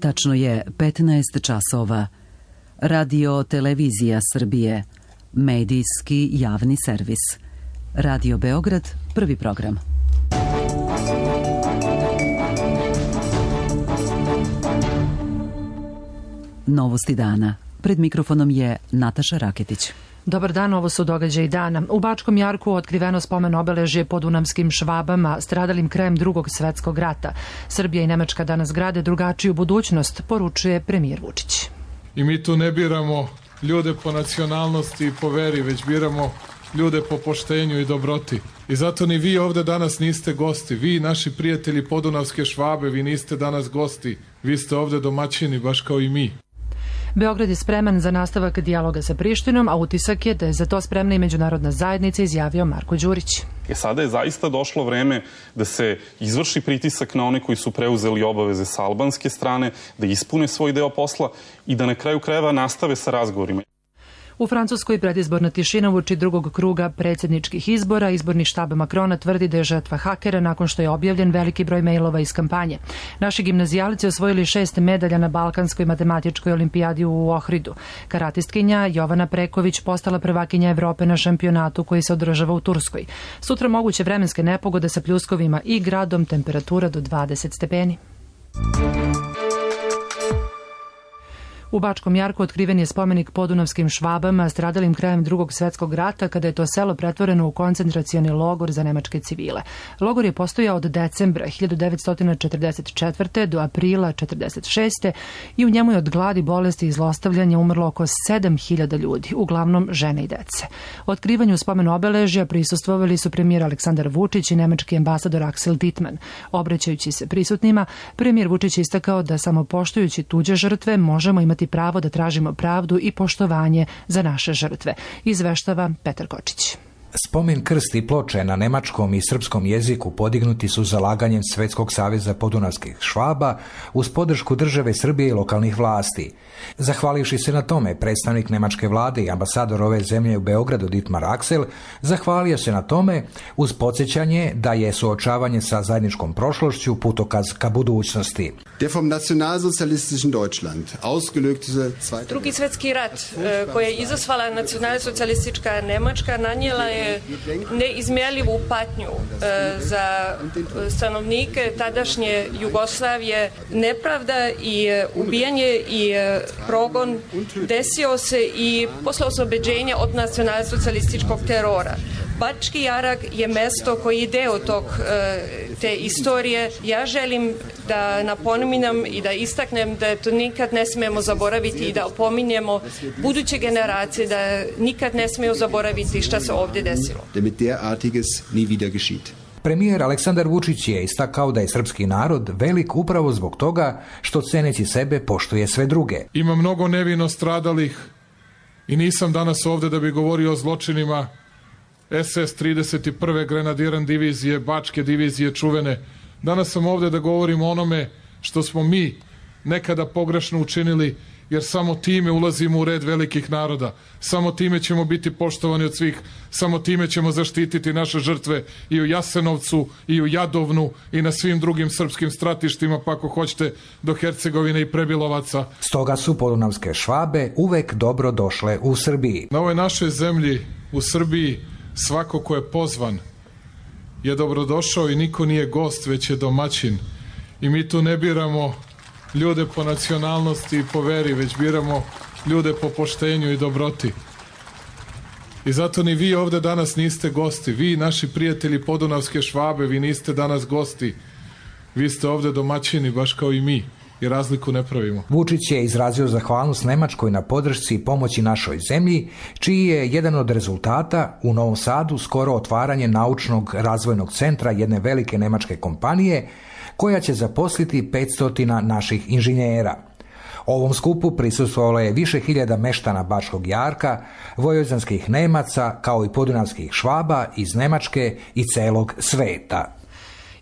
Tačno je 15 časova. Radio Televizija Srbije. Medijski javni servis. Radio Beograd, prvi program. Novosti dana. Pred mikrofonom je Nataša Raketić. Dobar dan, ovo su događaji dana. U Bačkom Jarku otkriveno spomen obeležje podunavskim Švabama, stradalim krajem Drugog svetskog rata. Srbija i Nemačka danas grade drugačiju budućnost, poručuje premijer Vučić. I mi tu ne biramo ljude po nacionalnosti i po veri, već biramo ljude po poštenju i dobroti. I zato ni vi ovde danas niste gosti. Vi, naši prijatelji podunavske Švabe, vi niste danas gosti. Vi ste ovde domaćini, baš kao i mi. Beograd je spreman za nastavak dijaloga sa Prištinom, a utisak je da je za to spremna i međunarodna zajednica, izjavio Marko Đurić. Sada je zaista došlo vreme da se izvrši pritisak na one koji su preuzeli obaveze sa albanske strane, da ispune svoj deo posla i da na kraju krajeva nastave sa razgovorima. U Francuskoj predizborna tišina uoči drugog kruga predsjedničkih izbora. Izborni štab Makrona tvrdi da je žrtva hakera nakon što je objavljen veliki broj mejlova iz kampanje. Naši gimnazijalici osvojili 6 medalja na Balkanskoj matematičkoj olimpijadi u Ohridu. Karatistkinja Jovana Preković postala prvakinja Evrope na šampionatu koji se održava u Turskoj. Sutra moguće vremenske nepogode sa pljuskovima i gradom, temperatura do 20 stepeni. U Bačkom Jarku otkriven je spomenik podunavskim Švabama, stradalim krajem Drugog svetskog rata, kada je to selo pretvoreno u koncentracioni logor za nemačke civile. Logor je postojao od decembra 1944. do aprila 1946. i u njemu je od gladi, bolesti i zlostavljanja umrlo oko 7.000 ljudi, uglavnom žene i dece. Otkrivanju spomen obeležja prisustvovali su premijer Aleksandar Vučić i nemački ambasador Axel Dittmann. Obraćajući se prisutnima, premijer Vučić istakao da samo poštujući tuđe žrtve možemo imati pravo da tražimo pravdu i poštovanje za naše žrtve, izveštava Petar Kočić. Spomen krst i ploče na nemačkom i srpskom jeziku podignuti su zalaganjem Svetskog saveza podunavskih Švaba uz podršku države Srbije i lokalnih vlasti. Zahvalivši se na tome, predstavnik nemačke vlade i ambasador ove zemlje u Beogradu Dietmar Axel zahvalio se na tome uz podsjećanje da je suočavanje sa zajedničkom prošlošću putokaz ka budućnosti. Der vom nacionalsozialistischen Deutschland ausgelöste Drugi svetski rat koji je izazvala nacionalsocijalistička Nemačka nanijela je neizmjerljivu patnju za stanovnike tadašnje Jugoslavije. Nepravda i ubijanje i progon desio se i posle oslobođenja od nacionalsocijalističkog terora. Bački Jarak je mesto koji je deo te istorije. Ja želim da napominam i da istaknem da to nikad ne smijemo zaboraviti i da opominjemo buduće generacije da nikad ne smiju zaboraviti šta se ovdje desilo. Damit derartiges nie wieder geschieht. Premijer Aleksandar Vučić je istakao da je srpski narod velik upravo zbog toga što ceneći sebe poštuje sve druge. Ima mnogo nevino stradalih i nisam danas ovde da bi govorio o zločinima SS 31. grenadiran divizije, Bačke divizije čuvene. Danas sam ovde da govorim o onome što smo mi nekada pogrešno učinili, jer samo time ulazimo u red velikih naroda. Samo time ćemo biti poštovani od svih. Samo time ćemo zaštititi naše žrtve i u Jasenovcu, i u Jadovnu, i na svim drugim srpskim stratištima, pa ako hoćete do Hercegovine i Prebilovaca. Stoga su podunavske Švabe uvek dobro došle u Srbiji. Na ovoj našoj zemlji, u Srbiji, svako ko je pozvan je dobrodošao i niko nije gost, već je domaćin. I mi tu ne biramo ljude po nacionalnosti i po veri, već biramo ljude po poštenju i dobroti. I zato ni vi ovde danas niste gosti. Vi, naši prijatelji podunavske Švabe, vi niste danas gosti. Vi ste ovde domaćini, baš kao i mi. I razliku ne pravimo. Vučić je izrazio zahvalnost Nemačkoj na podršci i pomoći našoj zemlji, čiji je jedan od rezultata u Novom Sadu skoro otvaranje naučnog razvojnog centra jedne velike nemačke kompanije, koja će zaposliti 500 naših inženjera. Ovom skupu prisustvovalo je više hiljada meštana Bačkog Jarka, vojvođanskih Nemaca, kao i podunavskih Švaba iz Nemačke i celog sveta.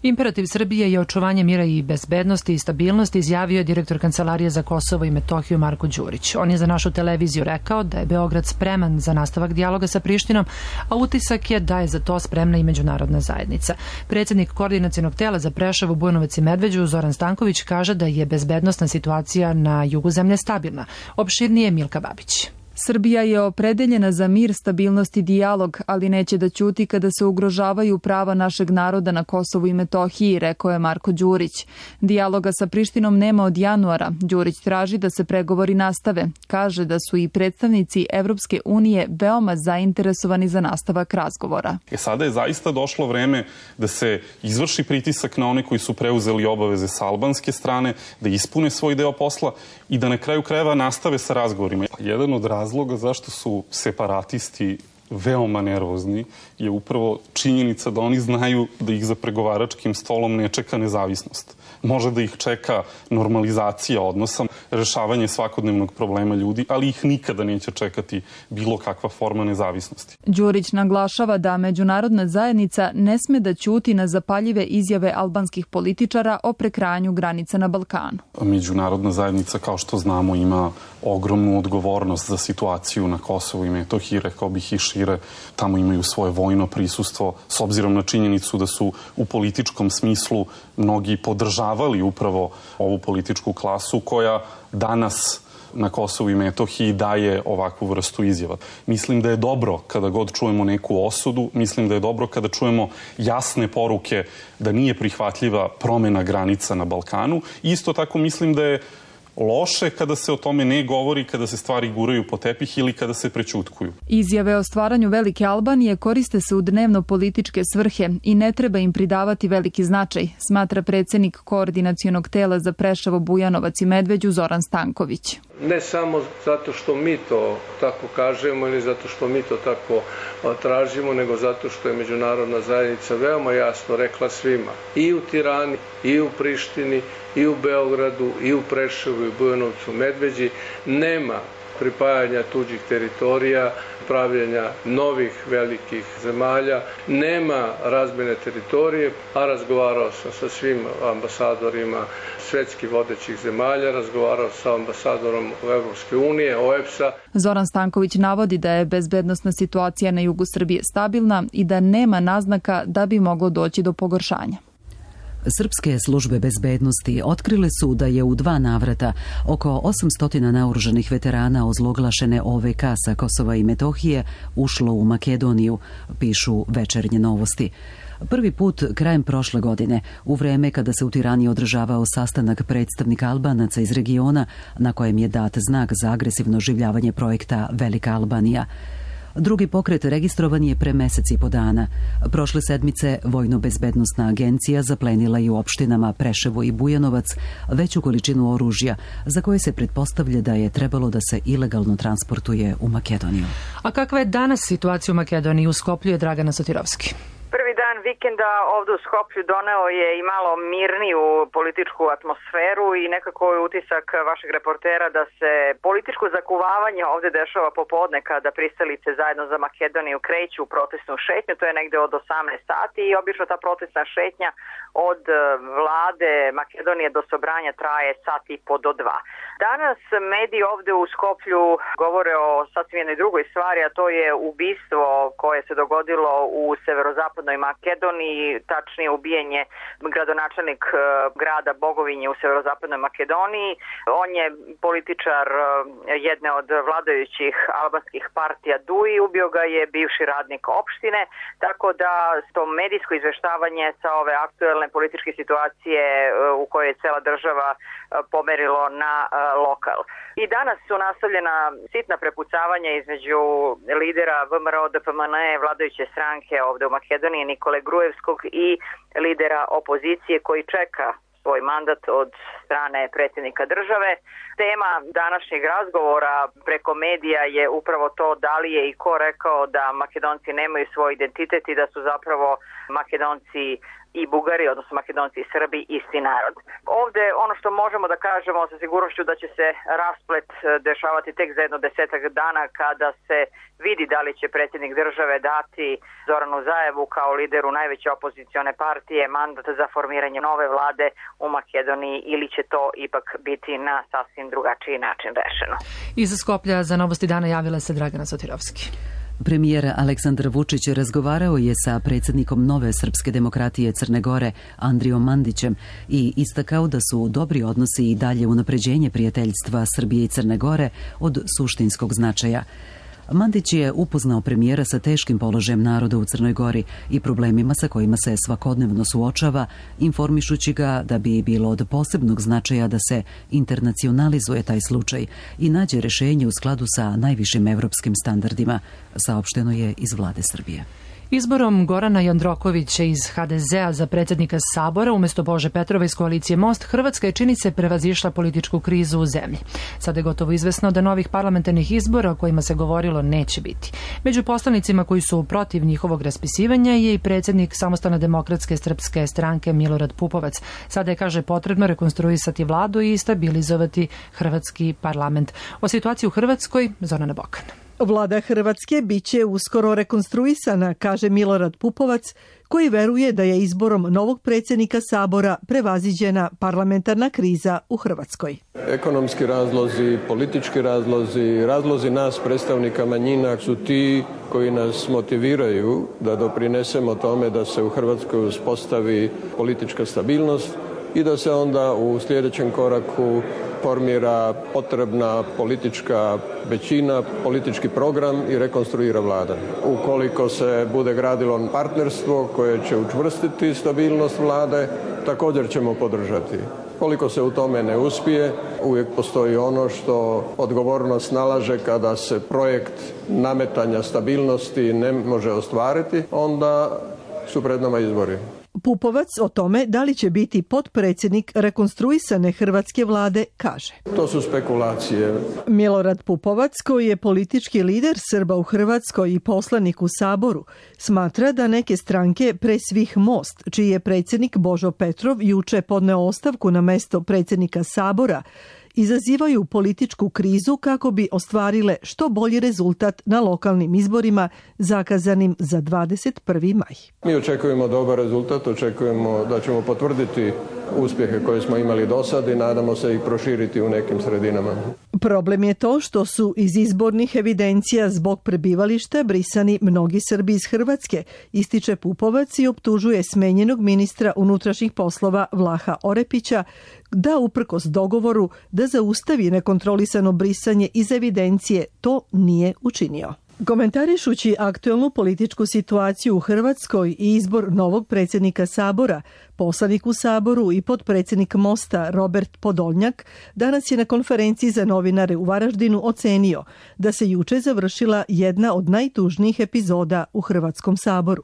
Imperativ Srbije je očuvanje mira i bezbednosti i stabilnosti, izjavio je direktor Kancelarije za Kosovo i Metohiju Marko Đurić. On je za našu televiziju rekao da je Beograd spreman za nastavak dijaloga sa Prištinom, a utisak je da je za to spremna i međunarodna zajednica. Predsjednik Koordinacionog tela za Preševo, Bujanovac i Medveđu Zoran Stanković kaže da je bezbednosna situacija na jugu zemlje stabilna. Opširnije Milka Babić. Srbija je opredeljena za mir, stabilnost i dijalog, ali neće da ćuti kada se ugrožavaju prava našeg naroda na Kosovu i Metohiji, rekao je Marko Đurić. Dijaloga sa Prištinom nema od januara. Đurić traži da se pregovori nastave. Kaže da su i predstavnici Evropske unije veoma zainteresovani za nastavak razgovora. Sada je zaista došlo vreme da se izvrši pritisak na one koji su preuzeli obaveze sa albanske strane, da ispune svoj deo posla i da na kraju krajeva nastave sa razgovorima. Jedan od razloga zašto su separatisti veoma nervozni je upravo činjenica da oni znaju da ih za pregovaračkim stolom ne čeka nezavisnost. Može da ih čeka normalizacija odnosa, rešavanje svakodnevnog problema ljudi, ali ih nikada neće čekati bilo kakva forma nezavisnosti. Đurić naglašava da međunarodna zajednica ne sme da ćuti na zapaljive izjave albanskih političara o prekrajanju granica na Balkanu. Međunarodna zajednica, kao što znamo, ima ogromnu odgovornost za situaciju na Kosovu i Metohiji, rekao bih i šire. Tamo imaju svoje vojno prisustvo, s obzirom na činjenicu da su u političkom smislu mnogi podržavali upravo ovu političku klasu koja danas na Kosovu i Metohiji daje ovakvu vrstu izjava. Mislim da je dobro kada god čujemo neku osudu, mislim da je dobro kada čujemo jasne poruke da nije prihvatljiva promena granica na Balkanu. Isto tako mislim da je loše kada se o tome ne govori, kada se stvari guraju po tepih ili kada se prećutkuju. Izjave o stvaranju Velike Albanije koriste se u dnevno-političke svrhe i ne treba im pridavati veliki značaj, smatra predsjednik Koordinacionog tela za Preševo, Bujanovac i Medveđu Zoran Stanković. Ne samo zato što mi to tako kažemo ili zato što mi to tako tražimo, nego zato što je međunarodna zajednica veoma jasno rekla svima, i u Tirani, i u Prištini, i u Beogradu, i u Preševu, i u Bujanovcu, Medveđi, nema pripajanja tuđih teritorija, pravljenja novih velikih zemalja, nema razmjene teritorije, a razgovarao sam sa svim ambasadorima svetskih vodećih zemalja, razgovarao sa ambasadorom Evropske unije, OEBS-a. Zoran Stanković navodi da je bezbednosna situacija na jugu Srbije stabilna i da nema naznaka da bi moglo doći do pogoršanja. Srpske službe bezbednosti otkrile su da je u 2 navrata oko 800 naoružanih veterana ozloglašene OVK sa Kosova i Metohije ušlo u Makedoniju, pišu Večernje novosti. Prvi put krajem prošle godine, u vreme kada se u Tirani održavao sastanak predstavnika Albanaca iz regiona, na kojem je dat znak za agresivno oživljavanje projekta Velika Albanija. Drugi pokret registrovan je pre mesec i po dana. Prošle sedmice Vojno-bezbednosna agencija zaplenila je u opštinama Preševo i Bujanovac veću količinu oružja za koje se pretpostavlja da je trebalo da se ilegalno transportuje u Makedoniju. A kakva je danas situacija u Makedoniji, u Skoplju je Dragana Sotirovski. Prvi dan vikenda ovdje u Skoplju doneo je i malo mirniju političku atmosferu i nekako je utisak vašeg reportera da se političko zakuvavanje ovdje dešava popodne kada pristalice zajedno za Makedoniju kreću u protestnu šetnju, to je negde od 18 sati i obično ta protestna šetnja od vlade Makedonije do Sobranja traje sat i po do 2. Danas mediji ovdje u Skoplju govore o sasvim jednoj drugoj stvari, a to je ubistvo koje se dogodilo u severozapadnoj Makedoniji, tačnije ubijenje gradonačelnik grada Bogovinje u severozapadnoj Makedoniji. On je političar jedne od vladajućih albanskih partija DUI, ubio ga je bivši radnik opštine, tako da to medijsko izveštavanje sa ove aktuelne političke situacije u kojoj je cela država pomerilo na lokal. I danas su nastavljena sitna prepucavanja između lidera VMRO-DPMN vladajuće stranke ovdje u Makedoniji Nikole Grujevskog i lidera opozicije koji čeka svoj mandat od strane predsjednika države. Tema današnjeg razgovora preko medija je upravo to da li je i ko rekao da Makedonci nemaju svoj identitet i da su zapravo Makedonci i Bugari, odnosno Makedonci i Srbi, isti narod. Ovde ono što možemo da kažemo sa sigurnošću da će se rasplet dešavati tek za jedno 10 dana kada se vidi da li će predsjednik države dati Zoranu Zaevu kao lideru najveće opozicione partije mandat za formiranje nove vlade u Makedoniji ili će to ipak biti na sasvim drugačiji način rešeno. Iz Skoplja za Novosti dana javila se Dragana Sotirovski. Premijer Aleksandar Vučić razgovarao je sa predsjednikom Nove srpske demokratije Crne Gore Andrijom Mandićem i istakao da su dobri odnosi i dalje unapređenje prijateljstva Srbije i Crne Gore od suštinskog značaja. Mandić je upoznao premijera sa teškim položajem naroda u Crnoj Gori i problemima sa kojima se svakodnevno suočava, informišući ga da bi bilo od posebnog značaja da se internacionalizuje taj slučaj i nađe rešenje u skladu sa najvišim evropskim standardima, saopšteno je iz vlade Srbije. Izborom Gorana Jandrokovića iz HDZ-a za predsjednika Sabora umjesto Bože Petrova iz koalicije Most, Hrvatska je čini se prevazišla političku krizu u zemlji. Sada je gotovo izvesno da novih parlamentarnih izbora o kojima se govorilo neće biti. Među poslanicima koji su protiv njihovog raspisivanja je i predsjednik Samostalne demokratske srpske stranke Milorad Pupovac. Sada je, kaže, potrebno rekonstruisati vladu i stabilizovati hrvatski parlament. O situaciji u Hrvatskoj, Zorana Bokan. Vlada Hrvatske biće uskoro rekonstruisana, kaže Milorad Pupovac, koji veruje da je izborom novog predsjednika Sabora prevaziđena parlamentarna kriza u Hrvatskoj. Ekonomski razlozi, politički razlozi, razlozi nas predstavnika manjina su ti koji nas motiviraju da doprinesemo tome da se u Hrvatskoj uspostavi politička stabilnost i da se onda u sljedećem koraku formira potrebna politička većina, politički program i rekonstruira vlada. Ukoliko se bude gradilo partnerstvo koje će učvrstiti stabilnost vlade, također ćemo podržati. Koliko se u tome ne uspije, uvijek postoji ono što odgovornost nalaže kada se projekt nametanja stabilnosti ne može ostvariti, onda su pred nama izbori. Pupovac o tome da li će biti potpredsjednik rekonstruisane hrvatske vlade kaže. To su spekulacije. Milorad Pupovac, koji je politički lider Srba u Hrvatskoj i poslanik u Saboru, smatra da neke stranke, pre svih Most, čiji je predsjednik Božo Petrov juče podneo ostavku na mesto predsjednika Sabora, izazivaju političku krizu kako bi ostvarile što bolji rezultat na lokalnim izborima zakazanim za 21. maj. Mi očekujemo dobar rezultat, očekujemo da ćemo potvrditi uspjehe koje smo imali do sad i nadamo se ih proširiti u nekim sredinama. Problem je to što su iz izbornih evidencija zbog prebivališta brisani mnogi Srbi iz Hrvatske, ističe Pupovac i optužuje smenjenog ministra unutrašnjih poslova Vlaha Orepića da uprkos dogovoru da zaustavi nekontrolisano brisanje iz evidencije to nije učinio. Komentarišući aktuelnu političku situaciju u Hrvatskoj i izbor novog predsjednika Sabora, poslanik u Saboru i potpredsjednik Mosta Robert Podolnjak danas je na konferenciji za novinare u Varaždinu ocenio da se juče završila jedna od najtužnijih epizoda u Hrvatskom saboru.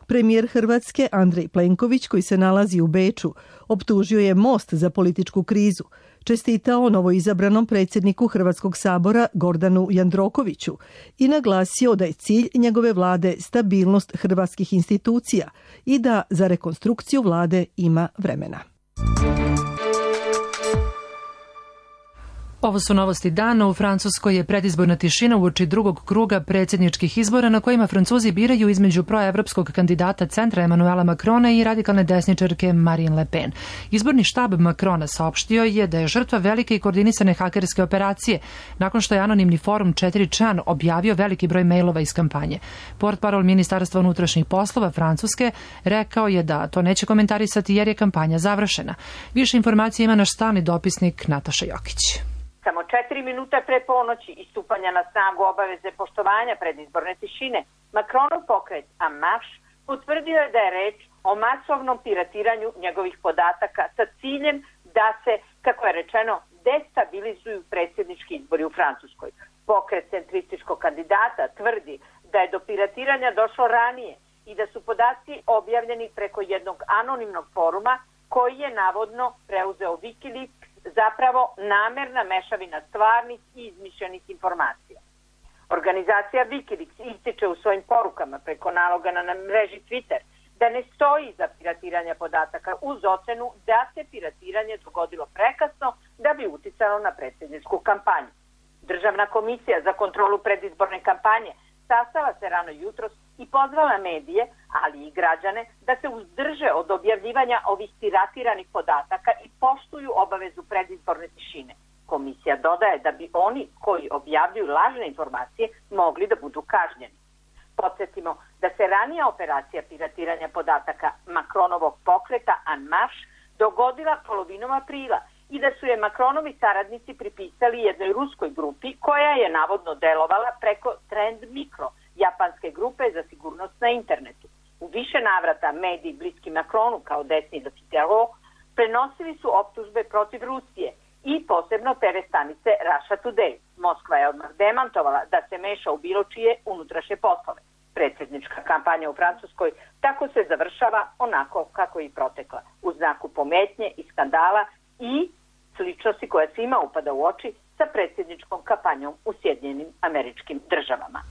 Premijer Hrvatske Andrej Plenković, koji se nalazi u Beču, optužio je Most za političku krizu, čestitao novoizabranom predsjedniku Hrvatskog sabora Gordanu Jandrokoviću i naglasio da je cilj njegove vlade stabilnost hrvatskih institucija i da za rekonstrukciju vlade ima vremena. Ovo su novosti dana. U Francuskoj je predizborna tišina uoči drugog kruga predsjedničkih izbora na kojima Francuzi biraju između proevropskog kandidata centra Emanuela Macrona i radikalne desničarke Marine Le Pen. Izborni štab Macrona saopštio je da je žrtva velike i koordinisane hakerske operacije nakon što je anonimni forum 4chan objavio veliki broj mailova iz kampanje. Portparol Ministarstva unutrašnjih poslova Francuske rekao je da to neće komentarisati jer je kampanja završena. Više informacija ima naš stalni dopisnik Nataša Jokić. Samo 4 minuta pre ponoći i stupanja na snagu obaveze poštovanja predizborne tišine, Macronov pokret En Marche potvrdio je da je reč o masovnom piratiranju njegovih podataka sa ciljem da se, kako je rečeno, destabilizuju predsjednički izbori u Francuskoj. Pokret centrističkog kandidata tvrdi da je do piratiranja došlo ranije i da su podaci objavljeni preko jednog anonimnog foruma koji je navodno preuzeo Wikileaks, zapravo namerna mešavina stvarnih i izmišljenih informacija. Organizacija Wikileaks ističe u svojim porukama preko naloga na mreži Twitter da ne stoji za piratiranje podataka uz ocenu da se piratiranje dogodilo prekasno da bi uticalo na predsjedničku kampanju. Državna komisija za kontrolu predizborne kampanje sastala se rano jutros i pozvala medije, ali i građane, da se uzdrže od objavljivanja ovih piratiranih podataka i poštuju obavezu predizborne tišine. Komisija dodaje da bi oni koji objavljuju lažne informacije mogli da budu kažnjeni. Podsjetimo da se ranija operacija piratiranja podataka Macronovog pokreta En Marche dogodila polovinom aprila i da su je Macronovi saradnici pripisali jednoj ruskoj grupi koja je navodno delovala preko Trend Micro, japanske grupe za sigurnost na internetu. U više navrata mediji bliski Macronu kao desni do Figaro prenosili su optužbe protiv Rusije i posebno TV stanice Russia Today. Moskva je odmah demantovala da se meša u bilo čije unutrašnje poslove. Predsjednička kampanja u Francuskoj tako se završava onako kako i protekla, u znaku pometnje i skandala i sličnosti koja svima upada u oči sa predsjedničkom kampanjom u Sjedinjenim Američkim Državama.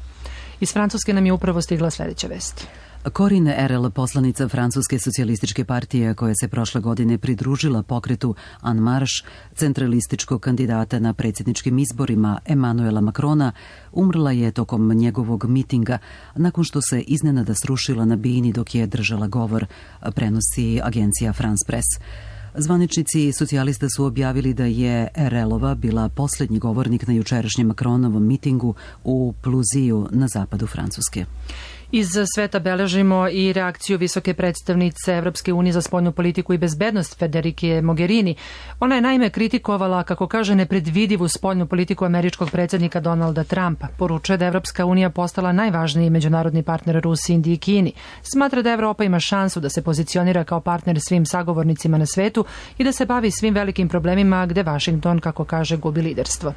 Iz Francuske nam je upravo stigla sljedeća vest. Corinne Erel, poslanica Francuske socijalističke partije koja se prošle godine pridružila pokretu En Marche, centralističkog kandidata na predsjedničkim izborima Emmanuela Macrona, umrla je tokom njegovog mitinga nakon što se iznenada srušila na bini dok je držala govor, prenosi agencija France Press. Zvaničnici socijalista su objavili da je Erelova bila posljednji govornik na jučerašnjem Macronovom mitingu u Pluziju na zapadu Francuske. Iz sveta beležimo i reakciju visoke predstavnice Evropske unije za spoljnu politiku i bezbednost Federike Mogherini. Ona je naime kritikovala, kako kaže, nepredvidivu spoljnu politiku američkog predsjednika Donalda Trumpa. Poručuje da Evropska unija postala najvažniji međunarodni partner Rusiji, Indiji i Kini. Smatra da Evropa ima šansu da se pozicionira kao partner svim sagovornicima na svetu i da se bavi svim velikim problemima gde Washington, kako kaže, gubi liderstvo.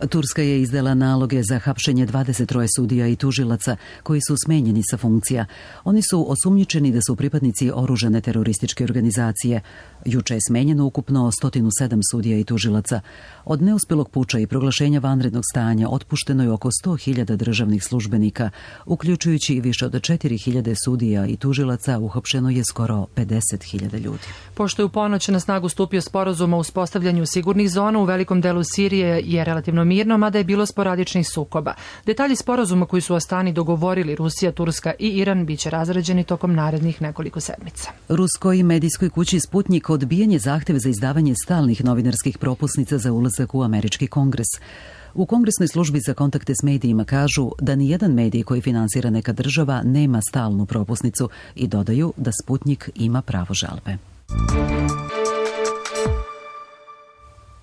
Turska je izdala naloge za hapšenje 23 sudija i tužilaca koji su smenjeni sa funkcija. Oni su osumnjičeni da su pripadnici oružane terorističke organizacije. Juče je smenjeno ukupno 107 sudija i tužilaca. Od neuspjelog puča i proglašenja vanrednog stanja otpušteno je oko 100.000 državnih službenika, uključujući i više od 4.000 sudija i tužilaca, uhapšeno je skoro 50.000 ljudi. Pošto je u ponoć na snagu stupio sporazum o uspostavljanju sigurnih zona u velikom delu Sirije je relativno mirno, mada je bilo sporadičnih sukoba. Detalji sporazuma koji su Astani dogovorili Rusija, Turska i Iran biće razrađeni tokom narednih nekoliko sedmica. Ruskoj medijskoj kući Sputnik odbijen je zahtev za izdavanje stalnih novinarskih propusnica za ulazak u američki kongres. U Kongresnoj službi za kontakte s medijima kažu da nijedan medij koji finansira neka država nema stalnu propusnicu i dodaju da Sputnik ima pravo žalbe.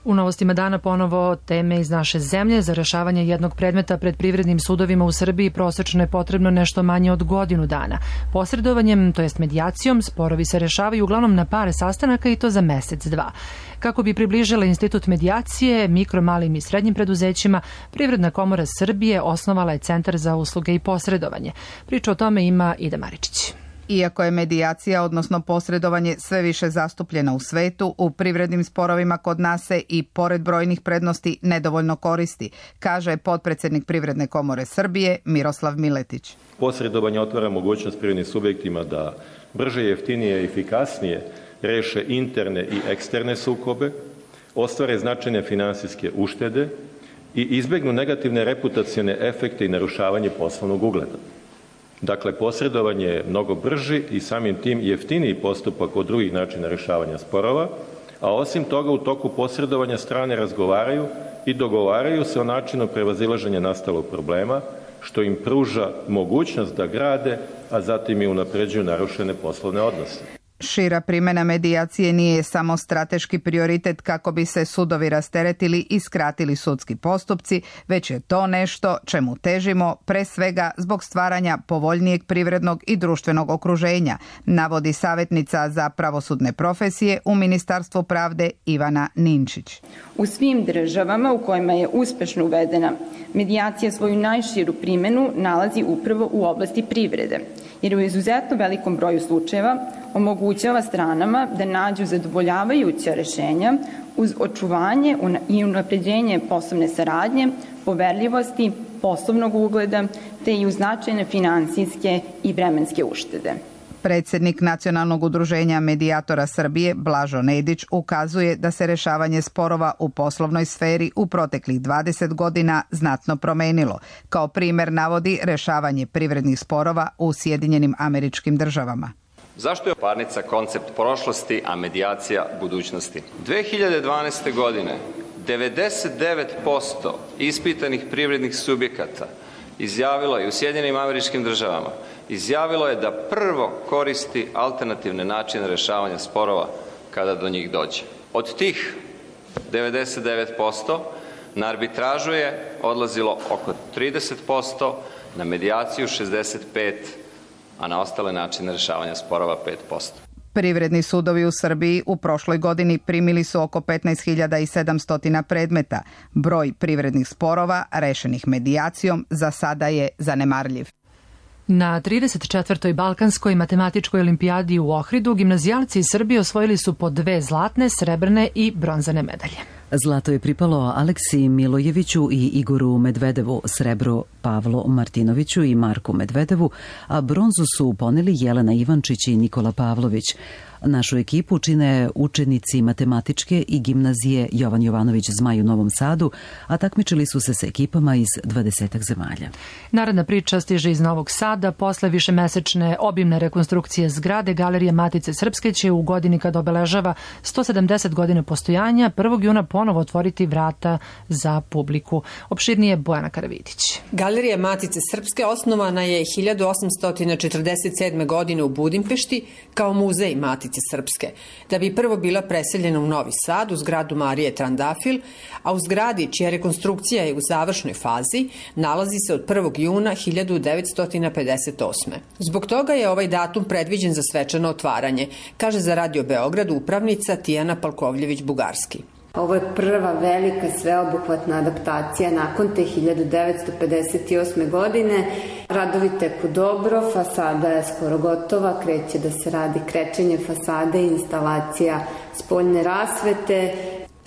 U novostima dana ponovo teme iz naše zemlje. Za rešavanje jednog predmeta pred privrednim sudovima u Srbiji prosečno je potrebno nešto manje od godinu dana. Posredovanjem, to jest medijacijom, sporovi se rešavaju uglavnom na par sastanaka i to za mesec, dva. Kako bi približila institut medijacije mikro, malim i srednjim preduzećima, Privredna komora Srbije osnovala je Centar za usluge i posredovanje. Priča o tome ima Ida Maričić. Iako je medijacija, odnosno posredovanje, sve više zastupljena u svetu, u privrednim sporovima kod nas se i pored brojnih prednosti nedovoljno koristi, kaže potpredsjednik Privredne komore Srbije Miroslav Miletić. Posredovanje otvara mogućnost privrednim subjektima da brže, jeftinije i efikasnije reše interne i eksterne sukobe, ostvare značajne finansijske uštede i izbegnu negativne reputacione efekte i narušavanje poslovnog ugleda. Dakle, posredovanje je mnogo brži i samim tim jeftiniji postupak od drugih načina rešavanja sporova, a osim toga u toku posredovanja strane razgovaraju i dogovaraju se o načinu prevazilaženja nastalog problema, što im pruža mogućnost da grade, a zatim i unapređuju narušene poslovne odnose. Šira primjena medijacije nije samo strateški prioritet kako bi se sudovi rasteretili i skratili sudski postupci, već je to nešto čemu težimo pre svega zbog stvaranja povoljnijeg privrednog i društvenog okruženja, navodi savjetnica za pravosudne profesije u Ministarstvu pravde Ivana Ninčić. U svim državama u kojima je uspešno uvedena, medijacija svoju najširu primjenu nalazi upravo u oblasti privrede, jer u izuzetno velikom broju slučajeva omogućava stranama da nađu zadovoljavajuća rešenja uz očuvanje i unapređenje poslovne saradnje, poverljivosti, poslovnog ugleda te i uz značajne finansijske i vremenske uštede. Predsjednik Nacionalnog udruženja medijatora Srbije, Blažo Nedić, ukazuje da se rešavanje sporova u poslovnoj sferi u proteklih 20 godina znatno promenilo. Kao primer navodi rešavanje privrednih sporova u Sjedinjenim Američkim Državama. Zašto je parnica koncept prošlosti, a medijacija budućnosti? 2012. godine 99% ispitanih privrednih subjekata izjavilo je u Sjedinjenim Američkim Državama, izjavilo je da prvo koristi alternativne načine rešavanja sporova kada do njih dođe. Od tih 99% na arbitražu je odlazilo oko 30%, na medijaciju 65%, a na ostale načine rešavanja sporova 5%. Privredni sudovi u Srbiji u prošloj godini primili su oko 15.700 predmeta. Broj privrednih sporova rešenih medijacijom za sada je zanemarljiv. Na 34. Balkanskoj matematičkoj olimpijadi u Ohridu gimnazijalci iz Srbije osvojili su po 2 zlatne, srebrne i bronzane medalje. Zlato je pripalo Aleksiji Milojeviću i Igoru Medvedevu, srebro Pavlo Martinoviću i Marku Medvedevu, a bronzu su poneli Jelena Ivančić i Nikola Pavlović. Našu ekipu čine učenici matematičke i gimnazije Jovan Jovanović Zmaj u Novom Sadu, a takmičili su se sa ekipama iz 20 zemalja. Naredna priča stiže iz Novog Sada. Posle višemesečne obimne rekonstrukcije zgrade, Galerija Matice Srpske će u godini kad obeležava 170 godina postojanja 1. juna ponovo otvoriti vrata za publiku. Opširnije Bojana Karavidić. Galerija Matice Srpske osnovana je 1847. godine u Budimpešti kao muzej Matice Srpske, da bi prvo bila preseljena u Novi Sad u zgradu Marije Trandafil, a u zgradi čija rekonstrukcija je u završnoj fazi nalazi se od 1. juna 1958. Zbog toga je ovaj datum predviđen za svečano otvaranje, kaže za Radio Beograd upravnica Tijana Palkovljević-Bugarski. Ovo je prva velika sveobuhvatna adaptacija nakon te 1958. godine. Radovi teku dobro, fasada je skoro gotova, kreće da se radi krečenje fasade i instalacija spoljne rasvete.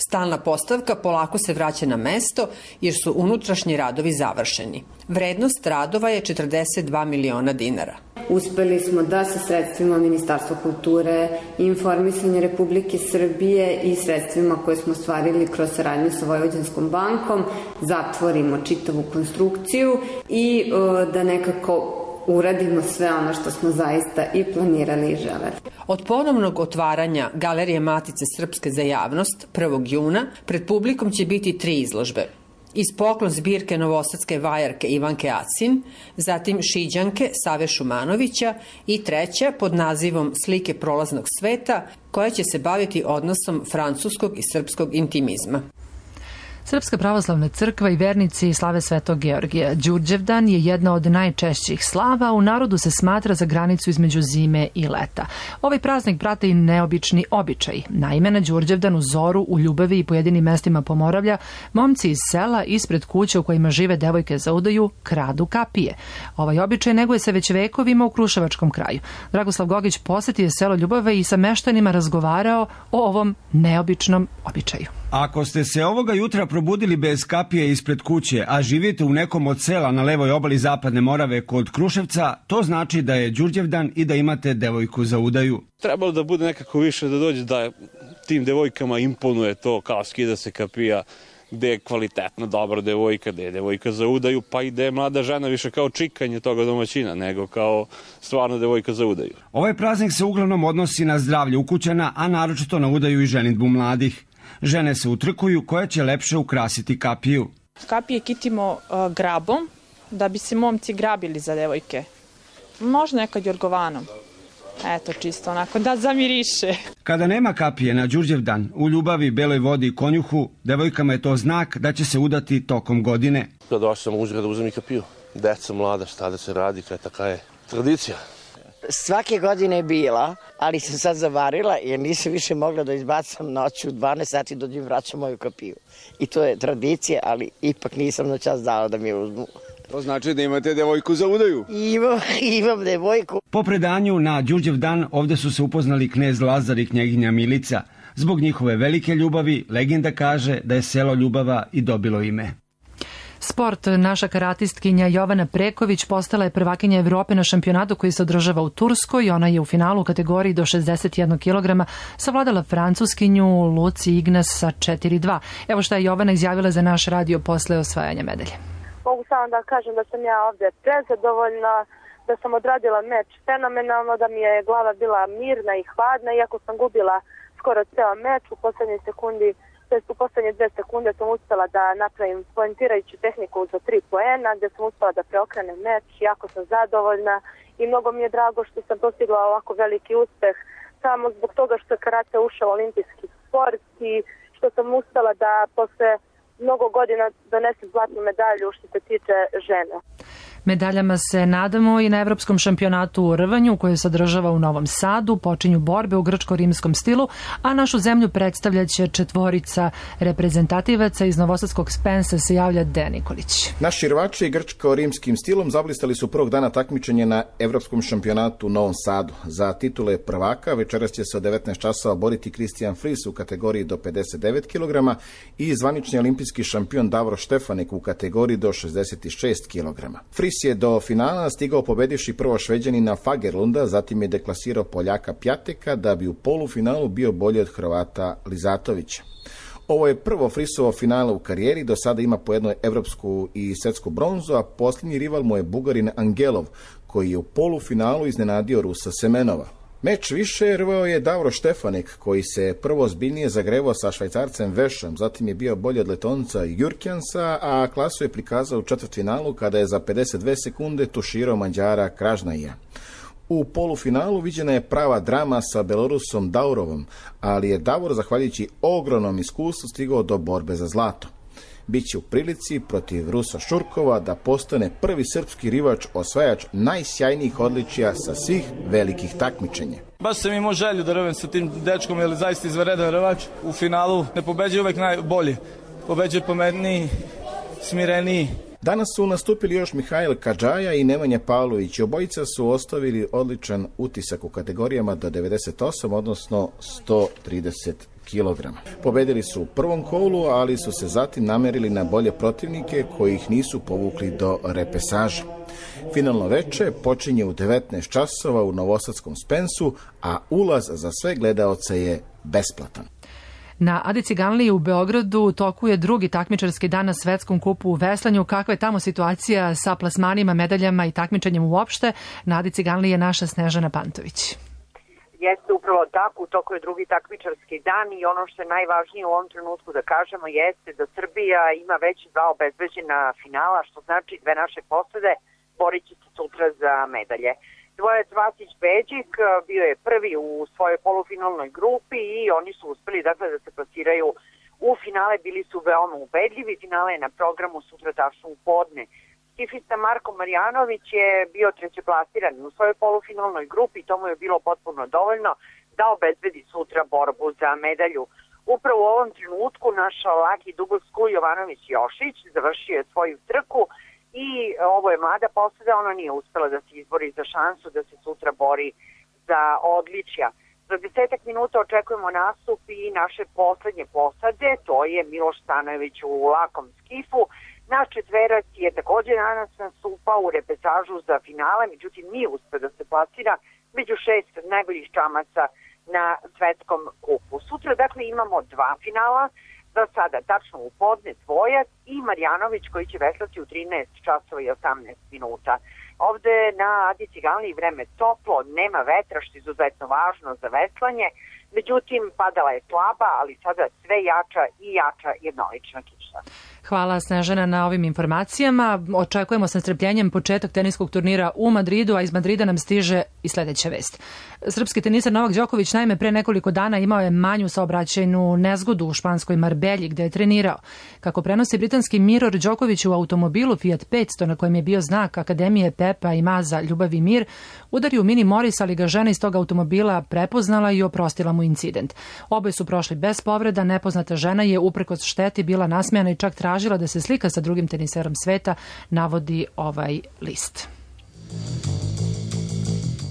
Stalna postavka polako se vraća na mesto jer su unutrašnji radovi završeni. Vrednost radova je 42 miliona dinara. Uspeli smo da sa sredstvima Ministarstva kulture i informisanja Republike Srbije i sredstvima koje smo ostvarili kroz saradnju sa Vojvođanskom bankom zatvorimo čitavu konstrukciju i da nekako uradimo sve ono što smo zaista i planirali i želeli. Od ponovnog otvaranja Galerije Matice Srpske za javnost 1. juna pred publikom će biti 3 izložbe. Iz poklon zbirke novosadske vajarke Ivanke Acin, zatim Šiđanke Save Šumanovića i treća pod nazivom Slike prolaznog sveta, koja će se baviti odnosom francuskog i srpskog intimizma. Srpska pravoslavna crkva i vernici slave Svetog Georgija. Đurđevdan je jedna od najčešćih slava, u narodu se smatra za granicu između zime i leta. Ovaj praznik prate i neobični običaj. Naime, na Đurđevdan u zoru, u Ljubavi i pojedinim mestima Pomoravlja, momci iz sela ispred kuća u kojima žive devojke za udaju kradu kapije. Ovaj običaj neguje se već vekovima u Kruševačkom kraju. Dragoslav Gogić posetio selo Ljubave i sa meštanima razgovarao o ovom neobičnom običaju. Ako ste se ovoga jutra probudili bez kapije ispred kuće, a živite u nekom od sela na levoj obali Zapadne Morave kod Kruševca, to znači da je Đurđevdan i da imate devojku za udaju. Trebalo da bude nekako više da dođe da tim devojkama imponuje to kao skida se kapija, gde je kvalitetna, dobra devojka, gde je devojka za udaju, pa i gde je mlada žena više kao čikanje toga domaćina, nego kao stvarno devojka za udaju. Ovaj praznik se uglavnom odnosi na zdravlje ukućana, a naročito na udaju i ženidbu mladih. Žene se utrkuju koja će lepše ukrasiti kapiju. Kapije kitimo grabom, da bi se momci grabili za devojke. Možda nekad jorgovanom. Eto, čisto onako da zamiriše. Kada nema kapije na Đurđevdan, u Ljubavi, Beloj Vodi i Konjuhu, devojkama je to znak da će se udati tokom godine. Da došao sam u uzgrad da uzem i kapiju. Deca mlada, šta da se radi, kaj taka je tradicija. Svake godine je bila, ali sam sad zavarila jer nisam više mogla da izbacam noću 12 sati dođem vraćam moju kapiju. I to je tradicija, ali ipak nisam na čas dala da mi je uzmu. To znači da imate devojku za udaju? Imam devojku. Po predanju na Đurđevdan ovde su se upoznali knez Lazar i knjeginja Milica. Zbog njihove velike ljubavi, legenda kaže da je selo Ljubava i dobilo ime. Sport, naša karatistkinja Jovana Preković postala je prvakinja Evrope na šampionatu koji se održava u Turskoj. Ona je u finalu u kategoriji do 61 kg savladala francuskinju Luci Ignas sa 4-2. Evo šta je Jovana izjavila za naš radio posle osvajanja medalje. Mogu samo da kažem da sam ja ovde prezadovoljna, da sam odradila meč fenomenalno, da mi je glava bila mirna i hladna, iako sam gubila skoro ceo meč. U poslednjoj sekundi, u poslednje 2 sekunde sam uspela da napravim poentirajuću tehniku za 3 poena, gde sam uspela da preokrenem meč. Jako sam zadovoljna i mnogo mi je drago što sam postigla ovako veliki uspeh samo zbog toga što je karate ušao u olimpijski sport i što sam uspela da posle mnogo godina donesem zlatnu medalju što se tiče žena. Medaljama se nadamo i na Evropskom šampionatu u rvanju koji se održava u Novom Sadu. Počinju borbe u grčko-rimskom stilu, a našu zemlju predstavljaće 4 reprezentativaca. Iz novosadskog Spensa se javlja Dejan Nikolić. Naši rvači grčko-rimskim stilom zablistali su prvog dana takmičenja na Evropskom šampionatu u Novom Sadu. Za titule prvaka večeras će se od 19 časova boriti Kristijan Fris u kategoriji do 59 kg i zvanični olimpijski šampion Davor Štefanek u kategoriji do 66 kg. Fris je do finala stigao pobedivši prvo Šveđanina Fagerlunda, zatim je deklasirao Poljaka Pjateka da bi u polufinalu bio bolji od Hrvata Lizatovića. Ovo je prvo Frisovo finale u karijeri, do sada ima po jednoj evropsku i svetsku bronzu, a posljednji rival mu je Bugarin Angelov, koji je u polufinalu iznenadio Rusa Semenova. Meč više rvao je Davor Štefanek, koji se prvo ozbiljnije zagrevao sa Švajcarcem Vešom, zatim je bio bolji od Letonca Jurkjansa, a klasu je prikazao u četvrtfinalu kada je za 52 sekunde tuširao Mađara Kražnaja. U polufinalu viđena je prava drama sa Belorusom Daurovom, ali je Davor, zahvaljujući ogromnom iskustvu, stigao do borbe za zlato. Biće u prilici protiv Rusa Šurkova da postane prvi srpski rivač osvajač najsjajnijih odličija sa svih velikih takmičenja. Baš sam imao želju da rvem sa tim dečkom, jer je zaista izvanredan rvač. U finalu ne pobeđuje uvek najbolji, pobeđuje pametniji, smireniji. Danas su nastupili još Mihajl Kadžaja i Nemanja Pavlović. Obojica su ostavili odličan utisak u kategorijama do 98, odnosno 130 kg. Pobedili su u prvom kolu, ali su se zatim namerili na bolje protivnike koji ih nisu povukli do repesaža. Finalno veče počinje u 19 časova u novosadskom Spensu, a ulaz za sve gledaoce je besplatan. Na Adi Ciganliji u Beogradu u toku je drugi takmičarski dan na svetskom kupu u veslanju. Kakva je tamo situacija sa plasmanima, medaljama i takmičenjem uopšte? Na Adi Ciganliji je naša Snežana Pantović. Jeste upravo tako, u toku je drugi takmičarski dan i ono što je najvažnije u ovom trenutku da kažemo jeste da Srbija ima već 2 obezbeđena finala, što znači 2 naše posade borit će se sutra za medalje. Dvojac Vasić Beđik bio je prvi u svojoj polufinalnoj grupi i oni su uspeli dakle da se plasiraju u finale, bili su veoma ubedljivi. Finale je na programu sutra tačno u podne. Skifista Marko Marjanović je bio trećeplasiran u svojoj polufinalnoj grupi i to mu je bilo potpuno dovoljno da obezbedi sutra borbu za medalju. Upravo u ovom trenutku naš laki dugovsku Jovanović Jošić završio je svoju trku i ovo je mlada posada, ona nije uspela da se izbori za šansu da se sutra bori za odličja. Za 10 minuta očekujemo nastup i naše poslednje posade, to je Miloš Stanojević u lakom skifu. Naš četverac je također danas nastupao u repesažu za finale, međutim nije uspeo da se plasira među 6 najboljih čamaca na svetskom kupu. Sutra dakle imamo 2 finala, za sada tačno u podne dvojac i Marjanović koji će veslati u 13 časova i 18 minuta. Ovde na Adi Ciganliji vreme toplo, nema vetra što je izuzetno važno za veslanje, međutim padala je slaba, ali sada sve jača i jača jednolična kiša. Hvala Snežana na ovim informacijama. Očekujemo sa nestrpljenjem početak teniskog turnira u Madridu, a iz Madrida nam stiže i sledeća vest. Srpski tenisar Novak Đoković naime pre nekoliko dana imao je manju saobraćajnu nezgodu u španskoj Marbelji gde je trenirao. Kako prenosi britanski Mirror, Đoković u automobilu Fiat 500 na kojem je bio znak Akademije Pepa i Maza Ljubav i mir udario Mini Moris, ali ga žena iz tog automobila prepoznala i oprostila mu incident. Oboje su prošli bez povreda, nepoznata žena je uprkos šteti bila nasmejana i čak tražila da se slika sa drugim teniserom sveta, navodi ovaj list.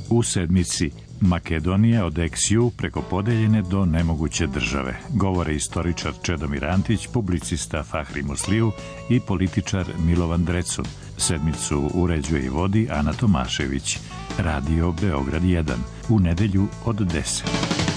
U sedmici Makedonija od ex-ju preko podeljene do nemoguće države, govore istoričar Čedomir Antić, publicista Fahri Musliju i političar Milovan Drecun. Sedmicu uređuje i vodi Ana Tomašević. Radio Beograd 1. U nedelju od 10.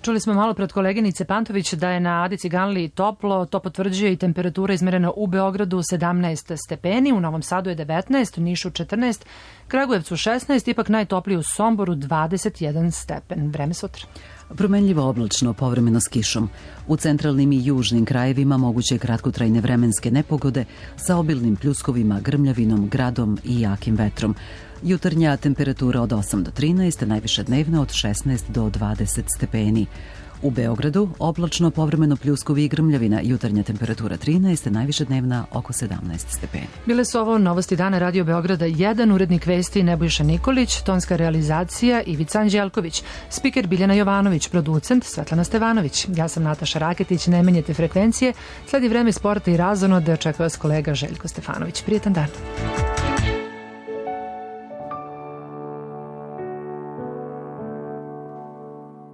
Čuli smo malo pred koleginice Pantović da je na Adi Ciganliji toplo, to potvrđuje i temperatura izmerena u Beogradu 17 stepeni, u Novom Sadu je 19, u Nišu 14, Kragujevcu 16, ipak najtopliji u Somboru 21 stepen. Vreme sutra. Promenljivo oblačno, povremeno s kišom. U centralnim i južnim krajevima moguće kratkotrajne vremenske nepogode sa obilnim pljuskovima, grmljavinom, gradom i jakim vetrom. Jutarnja temperatura od 8 do 13, najviša dnevna od 16 do 20 stepeni. U Beogradu oblačno, povremeno pljuskovi i grmljavina, jutarnja temperatura 13, najviša dnevna oko 17 stepeni. Bile su ovo novosti dana Radio Beograda 1, urednik vesti Nebojša Nikolić, tonska realizacija Ivica Anđelković, spiker Biljana Jovanović, producent Svetlana Stevanović. Ja sam Nataša Raketić, ne menjate frekvencije, sledi vreme sporta i razonode, čeka vas kolega Željko Stefanović. Prijetan dan.